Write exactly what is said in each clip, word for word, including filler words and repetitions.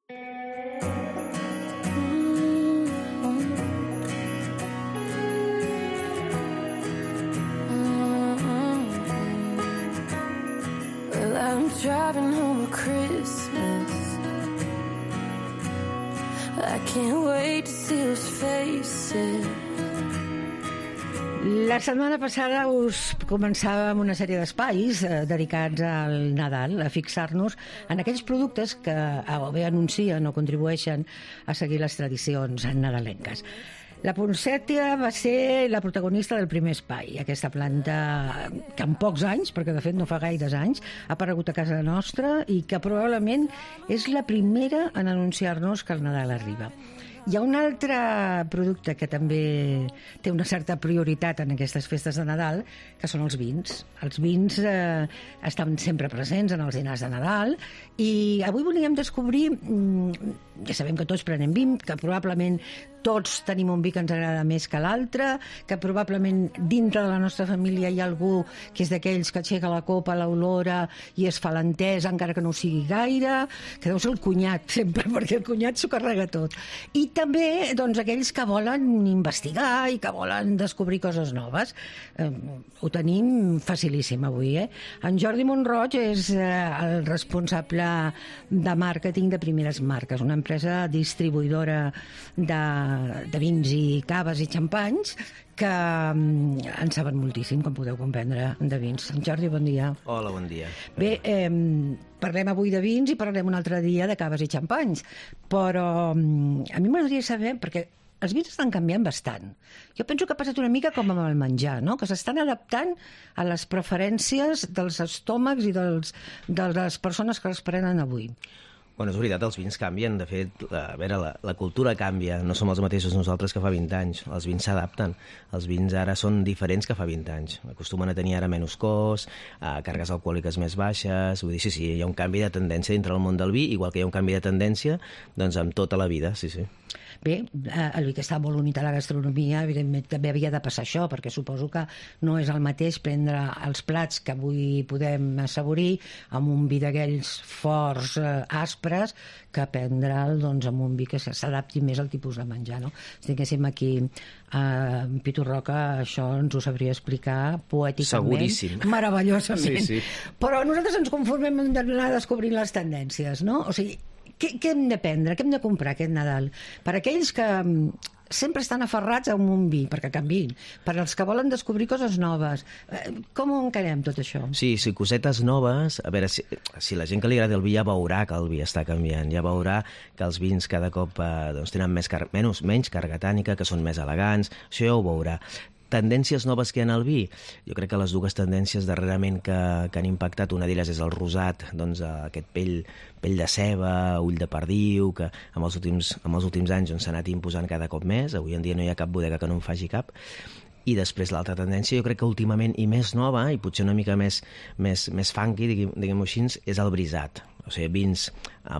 Well, I'm driving home at Christmas. I can't wait to see those faces. La setmana passada us començàvem una sèrie d'espais eh, dedicats al Nadal, a fixar-nos en aquells productes que o bé anuncien o contribueixen a seguir les tradicions nadalenques. La poncètia va ser la protagonista del primer espai, aquesta planta que en pocs anys, perquè de fet no fa gaires anys, ha aparegut a casa nostra i que probablement és la primera en anunciar-nos que el Nadal arriba. Hi ha un altre producte que també té una certa prioritat en aquestes festes de Nadal, que són els vins. Els vins eh, estan sempre presents en els dinars de Nadal i avui volíem descobrir, ja sabem que tots prenem vi, que probablement tots tenim un vi que ens agrada més que l'altre, que probablement dintre de la nostra família hi ha algú que és d'aquells que aixeca la copa, l'olora i es fa l'entès, encara que no ho sigui gaire, que deu ser el cunyat sempre, perquè el cunyat s'ho carrega tot. I també doncs, aquells que volen investigar i que volen descobrir coses noves. Eh, ho tenim facilíssim avui, eh? En Jordi Montroig és eh, el responsable de màrqueting de Primeres Marques, una empresa distribuïdora de, de vins i caves i xampanys que um, en saben moltíssim, com podeu comprendre, de vins. En Jordi, bon dia. Hola, bon dia. Bé, eh, parlem avui de vins i parlarem un altre dia de caves i xampanys, però um, a mi m'agradaria saber, perquè els vins estan canviant bastant. Jo penso que ha passat una mica com amb el menjar, no? Que s'estan adaptant a les preferències dels estómacs i dels, de les persones que els prenen avui. Bueno, és veritat, els vins canvien. De fet, a veure, la, la cultura canvia. No som els mateixos nosaltres que fa vint anys. Els vins s'adapten. Els vins ara són diferents que fa vint anys. Acostumen a tenir ara menys cos, a càrregues alcohòliques més baixes. Vull dir, sí, sí, hi ha un canvi de tendència dintre del món del vi, igual que hi ha un canvi de tendència doncs, amb tota la vida, sí, sí. Bé, el vi que està molt unit a la gastronomia, evidentment també havia de passar això, perquè suposo que no és el mateix prendre els plats que avui podem assaborir amb un vi d'aquells forts, eh, aspres, que prendre'l doncs, amb un vi que s'adapti més al tipus de menjar, no? Si tinguéssim aquí eh, Pitu Roca, això ens ho sabria explicar poèticament. Seguríssim. Meravellosament. Sí, sí. Però nosaltres ens conformem en anar descobrint les tendències, no? O sigui, Què, què hem de prendre, què hem de comprar aquest Nadal? Per aquells que sempre estan aferrats a un vi, perquè canviïn. Per als que volen descobrir coses noves. Com ho encarem tot això? Sí, sí, cosetes noves. A veure, si, si la gent que li agrada el vi ja veurà que el vi està canviant, ja veurà que els vins cada cop eh, doncs, tenen més car menys, menys càrrega tànica, que són més elegants, això ja ho veurà. Tendències noves que hi ha en el vi? Jo crec que les dues tendències darrerament que, que han impactat, una d'elles és el rosat, doncs aquest pell, pell de ceba, ull de perdiu, que amb els últims, amb els últims anys s'ha anat imposant cada cop més. Avui en dia no hi ha cap bodega que no en faci cap. I després l'altra tendència, jo crec que últimament, i més nova, i potser una mica més, més, més funky, diguem-ho així, és el brisat. O sigui, vins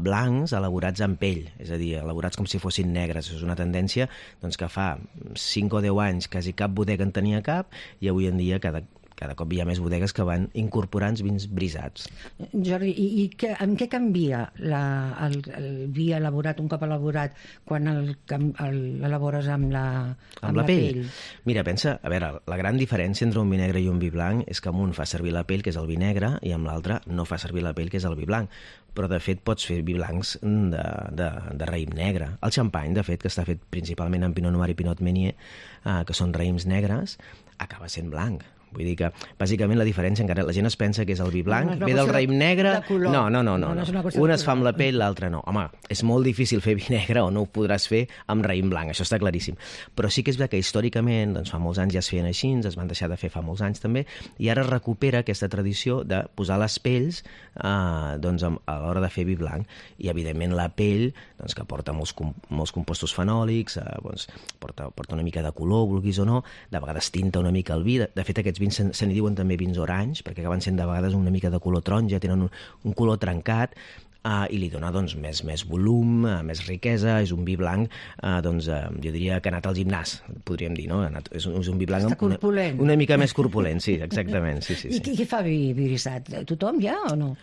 blancs elaborats en pell, és a dir, elaborats com si fossin negres. És una tendència doncs, que fa cinc o deu anys quasi cap bodega en tenia cap, i avui en dia cada, cada cop hi ha més bodegues que van incorporant vins brisats. Jordi, i, i que, en què canvia la, el, el vi elaborat, un cop elaborat, quan l'elabores amb la, amb amb la, la pell? pell? Mira, pensa, a veure, la gran diferència entre un vi negre i un vi blanc és que amb un fa servir la pell, que és el vi negre, i amb l'altre no fa servir la pell, que és el vi blanc. Però, de fet, pots fer vi blancs de, de, de raïm negre. El xampany, de fet, que està fet principalment en Pinot Noir i Pinot Meunier, eh, que són raïms negres, acaba sent blanc. Vull dir que, bàsicament, la diferència, encara la gent es pensa que és el vi blanc, no, ve del raïm negre... De no, no, no, no, no, no, no. no Un es fa amb la pell, l'altre no. Home, és molt difícil fer vi negre o no ho podràs fer amb raïm blanc, això està claríssim. Però sí que és veritat que històricament, doncs fa molts anys ja es feien així, es van deixar de fer fa molts anys també, i ara es recupera aquesta tradició de posar les pells eh, doncs, a l'hora de fer vi blanc. I, evidentment, la pell, doncs, que porta molts, com, molts compostos fenòlics, eh, doncs, porta, porta una mica de color, vulguis o no, de vegades tinta una mica el vi. De, de fet, aquests vins se, se n'hi diuen també vins orange, perquè acaben sent de vegades una mica de color taronja, tenen un, un color trencat, uh, i li dona doncs, més, més volum, uh, més riquesa. És un vi blanc, uh, doncs, uh, jo diria que ha anat al gimnàs, podríem dir, no? Anat, és, un, és un vi blanc una, una mica més corpulent, sí, exactament. Sí, sí, sí. I qui, qui fa vi brisat? Tothom ja o no?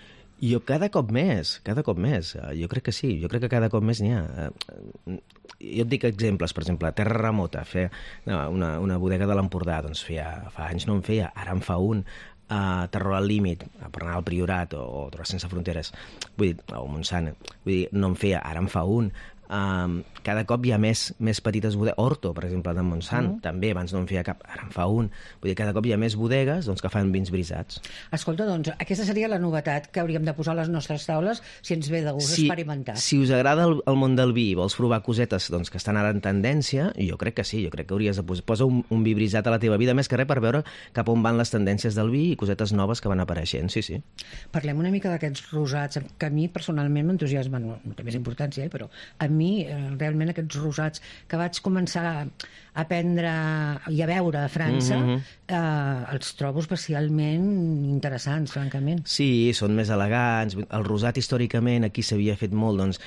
Jo cada cop més, cada cop més. Jo crec que sí, jo crec que cada cop més n'hi ha. Jo et dic exemples, per exemple, Terra Remota, fer una, una bodega de l'Empordà, doncs feia, fa anys no en feia, ara en fa un. Uh, Terror al límit, per anar al Priorat o, o Drogues sense fronteres, vull dir, o Montsant, vull dir, no en feia, ara en fa un. Um, cada cop hi ha més, més petites bodegues. Horto, per exemple, de Montsant, mm. també, abans no en feia cap, ara en fa un. Vull dir, cada cop hi ha més bodegues doncs, que fan vins brisats. Escolta, doncs, aquesta seria la novetat que hauríem de posar a les nostres taules si ens ve de gust si, experimentar. Si us agrada el, el món del vi i vols provar cosetes doncs, que estan ara en tendència, jo crec que sí, jo crec que hauries de posar posa un, un vi brisat a la teva vida, més que res per veure cap on van les tendències del vi i cosetes noves que van apareixent, sí, sí. Parlem una mica d'aquests rosats, que a mi personalment m'entusiasmen, no, no té més importància, eh, però a mi eh, realment aquests rosats que vaig començar a prendre i a veure a França, mm-hmm. eh, els trobo especialment interessants, francament. Sí, són més elegants. El rosat, històricament, aquí s'havia fet molt, doncs...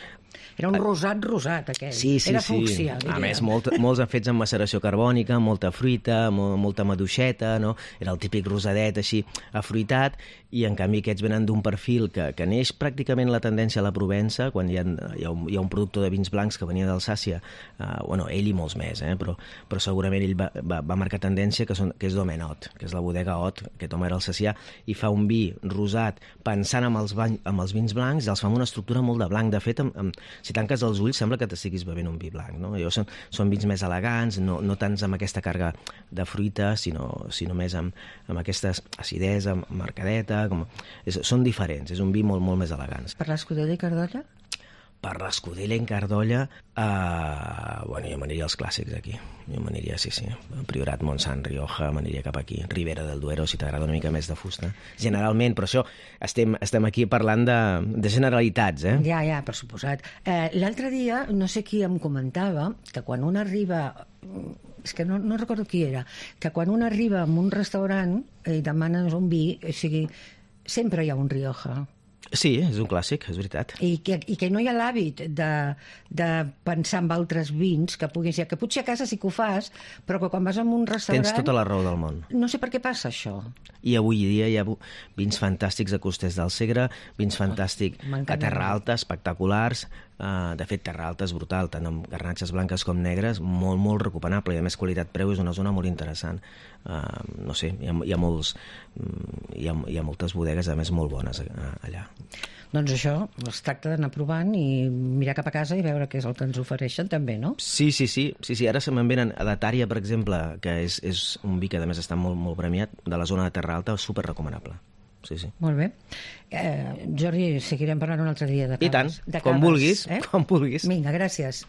Era un rosat rosat, aquell. Sí, sí, Era sí. fúcsia, diria. A més, molt, molts han fets amb maceració carbònica, molta fruita, molt, molta maduixeta, no? Era el típic rosadet així afruitat, i en canvi aquests venen d'un perfil que, que neix pràcticament la tendència a la Provença, quan hi ha, hi ha, un, hi ha un productor de vins blancs que venia d'Alsàcia, uh, bueno, ell i molts més, eh? però, però segurament ell va, va, va marcar tendència, que, són, que és Domenot, que és la bodega Ot, aquest home era alsacià, i fa un vi rosat pensant amb els, bany, amb els vins blancs, i els fa amb una estructura molt de blanc. De fet, amb, amb, si tanques els ulls sembla que t'estiguis bevent un vi blanc, no? Llavors són, són vins més elegants, no, no tants amb aquesta càrrega de fruita, sinó, sinó més amb, amb aquesta acidesa, marcadeta, com... és, són diferents, és un vi molt, molt més elegant. Per l'Escudella i Cardolla? Per l'Escudella i Cardolla, uh, bueno, jo m'aniria als clàssics aquí. Jo m'aniria, sí, sí, Priorat, Montsant, Rioja, m'aniria cap aquí. Ribera del Duero, si t'agrada una mica més de fusta. Generalment, però això, estem, estem aquí parlant de, de generalitats, eh? Ja, ja, per suposat. Eh, L'altre dia, no sé qui em comentava, que quan un arriba... És que no, no recordo qui era, que quan un arriba a un restaurant i demanes un vi, o sigui, sempre hi ha un Rioja. Sí, és un clàssic, és veritat. I que, i que no hi ha l'hàbit de, de pensar en altres vins que puguin ser, que potser a casa sí que ho fas, però que quan vas a un restaurant... Tens tota la raó del món. No sé per què passa això. I avui dia hi ha vins fantàstics a Costers del Segre, vins fantàstics a Terra Alta, espectaculars. Uh, de fet, Terra Alta és brutal, tant amb garnatxes blanques com negres, molt, molt recuperable, i a més qualitat-preu és una zona molt interessant. Uh, no sé, hi ha, hi ha molts hi ha, hi ha moltes bodegues, a més, molt bones uh, allà. Doncs això, es tracta d'anar provant i mirar cap a casa i veure què és el que ens ofereixen també, no? Sí, sí, sí, sí, sí. Ara se me'n venen a la Tària, per exemple, que és, és un vi que a més està molt, molt premiat, de la zona de Terra Alta, super recomanable. Sí, sí. Molt bé. Eh, Jordi, seguirem parlant un altre dia de caves. I tant, de quan caves, vulguis, eh? quan vulguis. Vinga, gràcies.